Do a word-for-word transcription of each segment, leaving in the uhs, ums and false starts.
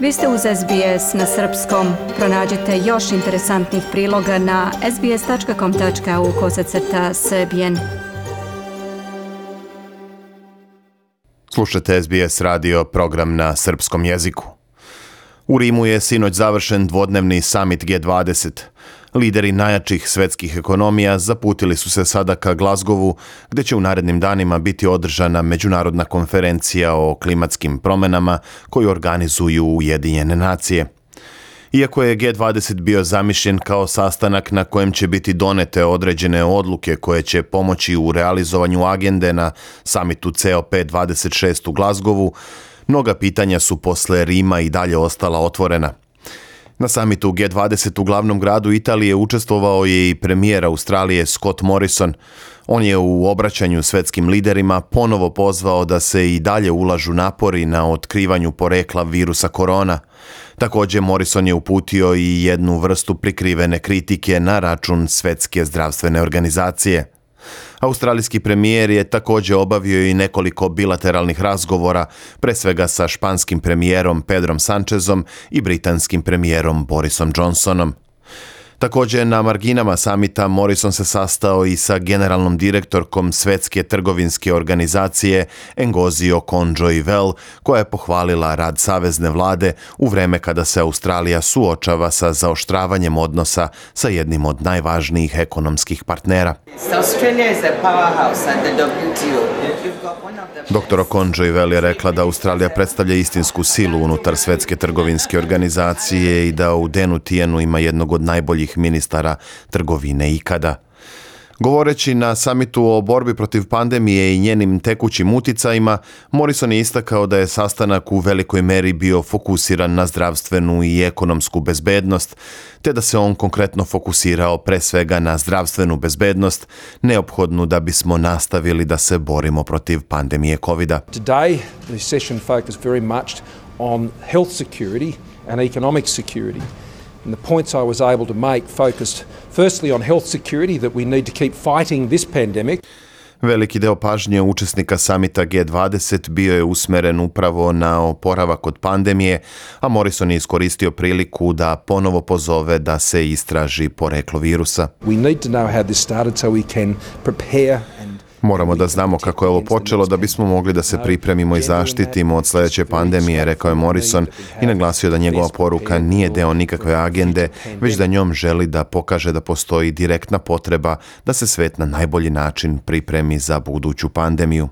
Vi ste uz S B S na srpskom. Pronađite još interesantnih priloga na sbs.com.au kosacrta srbijen. Slušate S B S radio, program na srpskom jeziku. U Rimu je sinoć završen dvodnevni summit G dvadeset. Lideri najjačih svetskih ekonomija zaputili su se sada ka Glasgowu, gdje će u narednim danima biti održana međunarodna konferencija o klimatskim promjenama koju organizuju Ujedinjene nacije. Iako je G dvadeset bio zamišljen kao sastanak na kojem će biti donete određene odluke koje će pomoći u realizovanju agende na samitu C O P dvadeset šest u Glasgowu, mnoga pitanja su posle Rima i dalje ostala otvorena. Na samitu G dvadeset u glavnom gradu Italije učestvovao je i premijer Australije Scott Morrison. On je u obraćanju svetskim liderima ponovo pozvao da se i dalje ulažu napori na otkrivanju porekla virusa korona. Također Morrison je uputio i jednu vrstu prikrivene kritike na račun Svetske zdravstvene organizacije. Australijski premijer je također obavio i nekoliko bilateralnih razgovora, pre svega sa španskim premijerom Pedrom Sanchezom i britanskim premijerom Borisom Johnsonom. Također na marginama samita Morrison se sastao i sa generalnom direktorkom Svetske trgovinske organizacije Ngozi Okonjo-Iweala, koja je pohvalila rad savezne vlade u vreme kada se Australija suočava sa zaoštravanjem odnosa sa jednim od najvažnijih ekonomskih partnera. Doktor Okonjo-Iweala je rekla da Australija predstavlja istinsku silu unutar Svetske trgovinske organizacije i da u Denu Tijenu ima jednog od najboljih ministara trgovine ikada. Govoreći na samitu o borbi protiv pandemije i njenim tekućim uticajima, Morrison je istakao da je sastanak u velikoj meri bio fokusiran na zdravstvenu i ekonomsku bezbednost, te da se on konkretno fokusirao pre svega na zdravstvenu bezbednost, neophodnu da bismo nastavili da se borimo protiv pandemije kovida. Today, the session focused very much on health security and economic security. And the points I was able to make focused firstly on health security, that we need to keep fighting this pandemic. Veliki deo pažnje učesnika samita G dvadeset bio je usmeren upravo na oporavak od pandemije, a Morrison je iskoristio priliku da ponovo pozove da se istraži poreklo virusa. We need to know how this started so we can prepare. Moramo da znamo kako je ovo počelo da bismo mogli da se pripremimo i zaštitimo od sljedeće pandemije, rekao je Morrison i naglasio da njegova poruka nije deo nikakve agende, već da njom želi da pokaže da postoji direktna potreba da se svet na najbolji način pripremi za buduću pandemiju.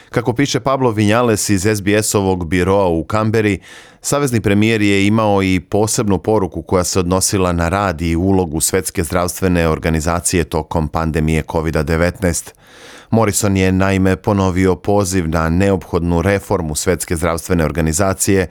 Kako piše Pablo Vinales iz S B S-ovog biroa u Kamberi, savezni premijer je imao i posebnu poruku koja se odnosila na rad i ulogu Svetske zdravstvene organizacije tokom pandemije kovid devetnaest. Morrison je naime ponovio poziv na neophodnu reformu Svetske zdravstvene organizacije,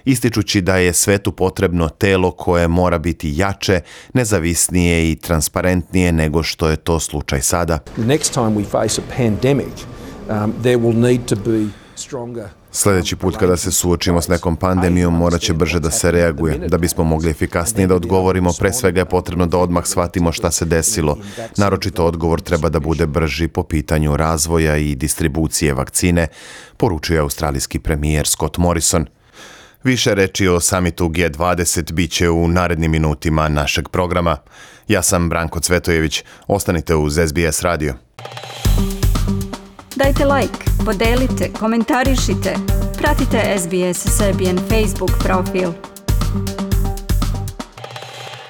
ističući da je svetu potrebno telo koje mora biti jače, nezavisnije i transparentnije nego što je to slučaj sada. Next time we face a pandemic, um, there will need to be stronger. Sljedeći put kada se suočimo s nekom pandemijom morat će brže da se reaguje. Da bismo mogli efikasnije da odgovorimo, pre svega je potrebno da odmah shvatimo šta se desilo. Naročito odgovor treba da bude brži po pitanju razvoja i distribucije vakcine, poručuje australijski premijer Scott Morrison. Više reči o samitu G dvadeset bit će u narednim minutima našeg programa. Ja sam Branko Cvetojević. Ostanite uz S B S radio. Dajte like, podelite, komentarišite. Pratite S B S Serbian Facebook profil.